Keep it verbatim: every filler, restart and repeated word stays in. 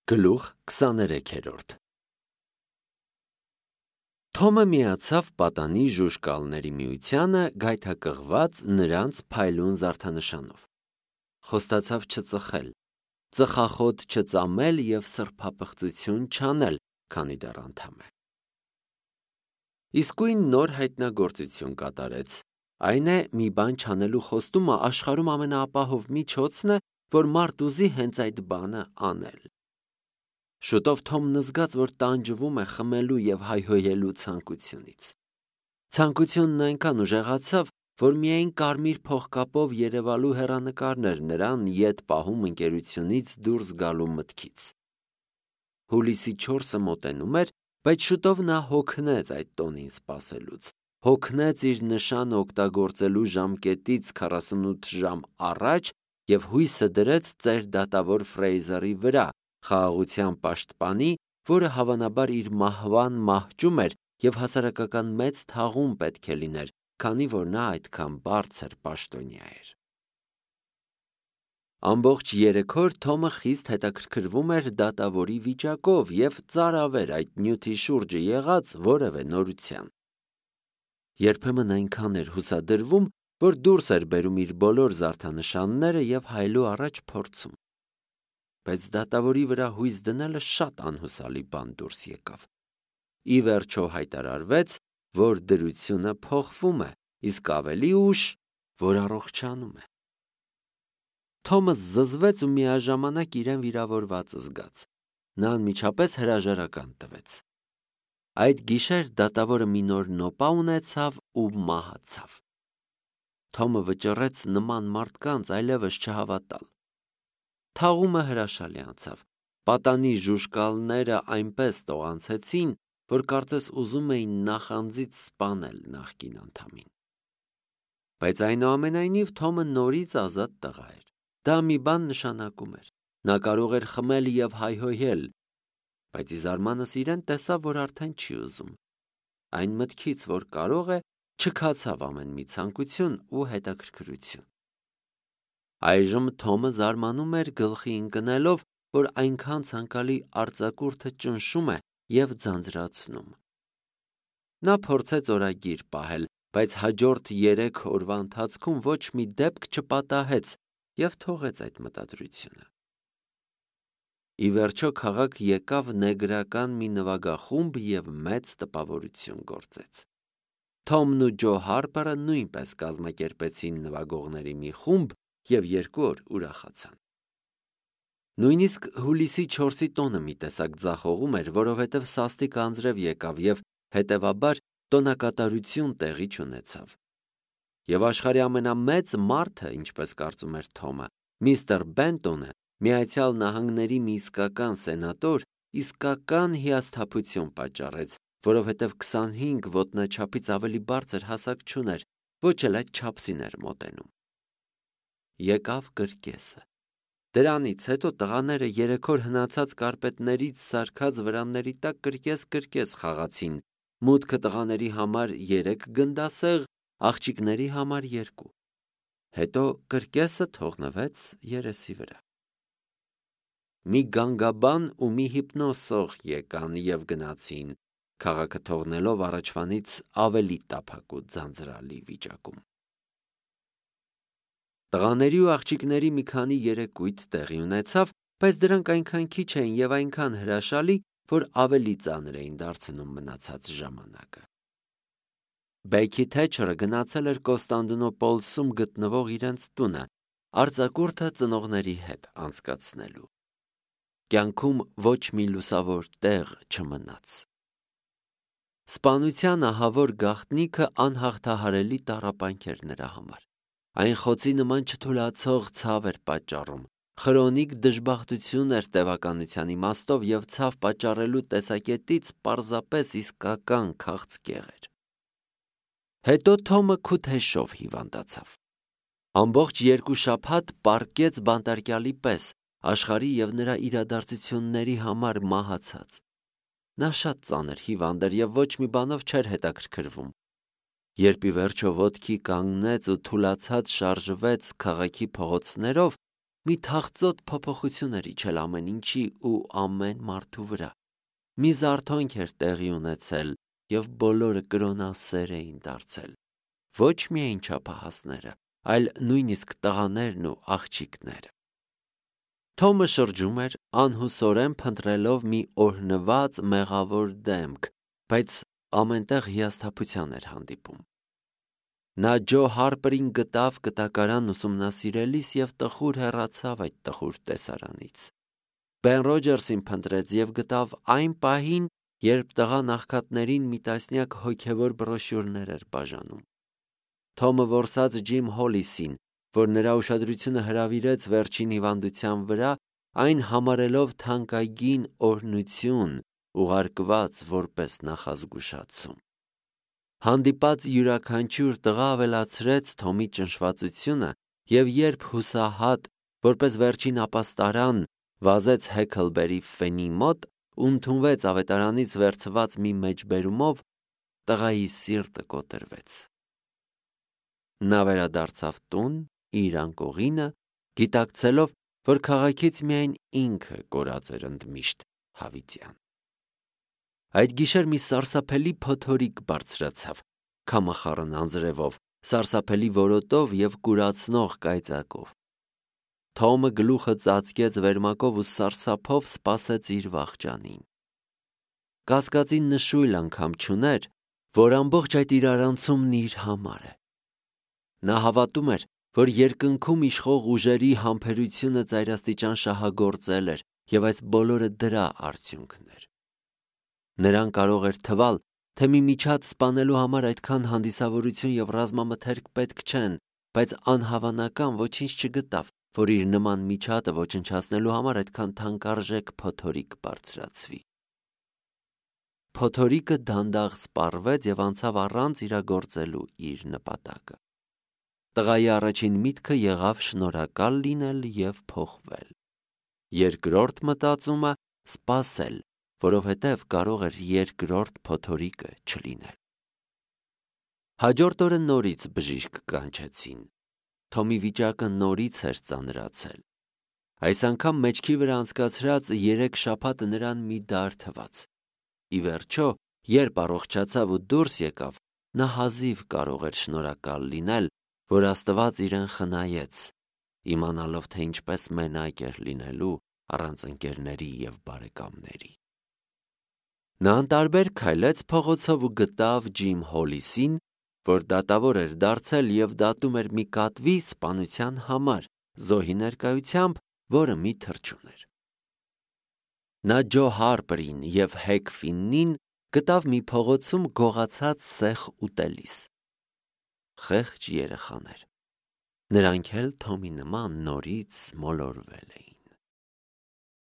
Գլուխ քսաներեքերորդ Թոմը միացավ պատանի ժուժկալների միությանը գայթակղված նրանց փայլուն զարդանշանով, խոստացավ չծխել, ծխախոտ չծամել և սրբապղծություն չանել, քանի դեռ անդամ է։ Իսկույն նոր հայտնագործություն կատարեց, այն է մի բան չանելու խոստումը աշխարհում ամենաապահով միջոցն է, որ մարդ ուզի հենց այդ բանը անել։ Շուտով Թոմն զգաց, որ տանջվում է խմելու և հայհոյելու ցանկությունից։ Ցանկությունն այնքան ուժեղացավ, որ միայն կարմիր փողկապով երևալու հեռանկարներ նրան ետ պահում ընկերությունից դուրս գալու մտքից։ Հուլիսի չորսը մոտենում էր, բայց շուտով նա հոգնեց այդ տոնին սպասելուց, հոգնեց իր նշանը օգտագործելու ժամկետից քառասունութ ժամ առաջ և հույսը դրեց ծեր դատավոր Ֆրեյզերի վրա, խաղաղության պաշտպանի, որը հավանաբար իր մահվան մահճում էր և հասարակական մեծ թաղում պետք է լիներ, քանի որ նա այդքան բարձր պաշտոնյա էր։ Ամբողջ երեք օր Թոմը խիստ հետաքրքրվում էր դատավորի վիճակով և ծարավեր այդ նյութի շուրջը եղած որևէ նորության։ Երբեմն այնքան էր հուսադրվում, որ դուրս էր բերում իր բոլոր զարդանշանները և հայելու առաջ փորձում։ Բայց դատավորի վրա հույս դնելը շատ անհուսալի բան դուրս եկավ։ Ի վերջո հայտարարվեց, որ դրությունը փոխվում է, իսկ ավելի ուշ, որ առողջանում է։ Թոմը զզվեց ու միաժամանակ իրեն վիրավորված զգաց։ Նա անմիջապես հրաժարական տվեց։ Այդ գիշեր դատավորը մի նոր նոպա ունեցավ ու մահացավ։ Թոմը վճռեց նման մարդկանց այլևս չհավատալ։ Թաղումը հրաշալի անցավ։ Պատանի ժուժկալները այնպես տողանցեցին, որ կարծես ուզում էին նախանձից սպանել նախկին անդամին։ Բայց այնուամենայնիվ Թոմը նորից ազատ տղա էր։ Դա մի բան նշանակում էր։ Նա կարող էր խմել և հայհոյել, բայց ի զարմանս իրեն տեսավ, որ արդեն չի ուզում։ Այն մտքից, որ կարող է, չքացավ ամեն մի ցանկություն ու հետաքրքրություն։ Այժմ Թոմը զարմանում էր գլխի ընկնելով, որ այնքան ցանկալի արձակուրդը ճնշում է և ձանձրացնում։ Նա փորձեց օրագիր պահել, բայց հաջորդ երեք օրվա ընթացքում ոչ մի դեպք չպատահեց և թողեց այդ մտադրությունը։ Ի վերջո քաղաք եկավ նեգրական մի նվագախումբ և մեծ տպավորություն գործեց։ Թոմն ու Ջո Հարպերը նույնպես կազմակերպեցին նվագողների մի խումբ և երկու օր ուրախացան։ Նույնիսկ հուլիսի չորսի տոնը մի տեսակ ձախողում էր, որովհետև սաստիկ անձրև եկավ և, հետևաբար, տոնակատարություն տեղի չունեցավ։ Եվ աշխարհի ամենամեծ մարդը, ինչպես կարծում էր Թոմը, միստր Բենտոնը, Միացյալ Նահանգների մի իսկական սենատոր, իսկական հիասթափություն պատճառեց, որովհետև քսանհինգ ոտնաչափից ավելի բարձր հասակ չուներ, ոչ էլ այդ չափսին էր մոտենում։ Եկավ կրկեսը։ Դրանից հետո տղաները երեք օր հնացած կարպետներից սարքած վրանների տակ կրկես-կրկես խաղացին, մուտքը տղաների համար երեք գնդասեղ, աղջիկների համար երկու։ Հետո կրկեսը թողնվեց երեսի վրա։ Մի գանգաբան ու մի հիպնոսող եկան և գնացին, քաղաքը թողնելով առաջվանից ավելի տափակ ու ձանձրալի վիճակում։ Տղաների ու աղջիկների մի քանի երեկույթ տեղի ունեցավ, բայց դրանք այնքան քիչ էին և այնքան հրաշալի, որ ավելի ծանր էին դարձնում մնացած ժամանակը։ Բեքի Թեչերը գնացել էր Կոստանդնուպոլսում գտնվող իրենց տունը, արձակուրդը ծնողների հետ անցկացնելու։ Կյանքում ոչ մի լուսավոր տեղ չմնաց։ Սպանության ահավոր գաղտնիքը անհաղթահարելի տառապանք էր նրա համար։ Այն խոցի նման չթուլացող ցավ էր պատճառում, խրոնիկ դժբախտություն էր տևականության իմաստով և ցավ պատճառելու տեսակետից պարզապես իսկական քաղցկեղ էր։ Հետո Թոմը քութեշով հիվանդացավ։ Ամբողջ երկու շաբաթ պառկեց բանտարկյալի պես, աշխարհի և նրա իրադարձությունների համար մահացած։ Նա շատ ծանր հիվանդ էր և ոչ մի բանով չէր հետաքրքրվում։ Երբ ի վերջո ոտքի կանգնեց ու թուլացած շարժվեց քաղաքի փողոցներով, մի թախծոտ փոփոխություն էր իջել ամեն ինչի ու ամեն մարդու վրա։ Մի զարթոնք էր տեղի ունեցել և բոլորը կրոնասեր էին դարձել։ Ոչ միայն չափահասները, այլ նույնիսկ տղաներն ու աղջիկները։ Թոմը շրջում էր անհուսորեն փնտրելով մի օրհնված մեղավոր դեմք, բայց ամենտեղ հիասթափության էր հանդիպում։ Նա Ջո Հարպերին գտավ կտակարան ուսումնասիրելիս և տխուր հեռացավ այդ տխուր տեսարանից։ Բեն Ռոջերսին փնտրեց և գտավ այն պահին, երբ տղան աղքատներին մի տասնյակ հոգևոր բրոշյուրներ էր բաժանում։ Թոմը որսաց Ջիմ Հոլիսին, որ նրա ուշադրությունը հրավիրեց վերջին հիվանդության վրա, այն համարելով թանկագին օրհնություն, ուղարկված որպես նախազգուշացում։ Հանդիպած յուրաքանչյուր տղա ավելացրեց Թոմի ճնշվածությունը, և երբ հուսահատ, որպես վերջին ապաստարան, վազեց Հեքլբերի Ֆենի մոտ ու ընդունվեց ավետարանից վերցված մի մեջբերումով, տղայի սիրտը կոտրվեց։ Նա վերադարձավ տուն իր անկողինը, գիտակցելով, որ քաղաքից միայն ինքը կորած էր ընդմիշտ հավիտյան։ Այդ գիշեր մի սարսափելի փոթորիկ բարձրացավ, քամախառն անձրևով, սարսափելի որոտով և կուրացնող կայծակով։ Թոմը գլուխը ծածկեց վերմակով ու սարսափով սպասեց իր վախճանին։ Կասկածի նշույլ անգամ չուներ, որ ամբողջ այդ իրարանցումն իր համար է։ Նա հավատում էր, որ երկնքում իշխող ուժերի համբերությունը ծայրաստիճան շահագործել էր, և այս բոլորը դրա արդյունքն էր։ Նրան կարող էր թվալ, թե մի միջատ սպանելու համար այդքան հանդիսավորություն և ռազմամթերք պետք չեն, բայց անհավանական ոչինչ չգտավ, որ իր նման միջատը ոչնչացնելու համար այդքան թանկարժեք փոթորիկ բարձրացվի։ Փոթորիկը դանդաղ սպառվեց և անցավ առանց իրագործելու իր նպատակը։ Տղայի առաջին միտքը եղավ շնորհակալ լինել և փոխվել։ Երկրորդ մտածումը սպասել, որովհետև կարող էր երկրորդ փոթորիկը չլինել։ Հաջորդ օրը նորից բժիշկ կանչեցին։ Թոմի վիճակը նորից էր ծանրացել։ Այս անգամ մեջքի վրա անցկացրած երեք շաբաթը նրան մի դար թվաց։ Ի վերջո, երբ առողջացավ ու դուրս եկավ, նա հազիվ կարող էր շնորհակալ լինել, որ Աստված իրեն խնայեց, իմանալով, թե ինչպես մենակ էր լինելու առանց ընկերների և բարեկամների։ Նա անտարբեր քայլեց փողոցով ու գտավ Ջիմ Հոլիսին, որ դատավոր էր դարձել և դատում էր մի կատվի սպանության համար, զոհի ներկայությամբ, որը մի թռչուն էր։ Նա Ջո Հարպերին և Հեք Ֆիննին գտավ մի փողոցում գողացած սեխ ուտելիս։ Խեղճ երեխաներ։ Նրանք էլ Թոմի նման նորից մոլորվել էին։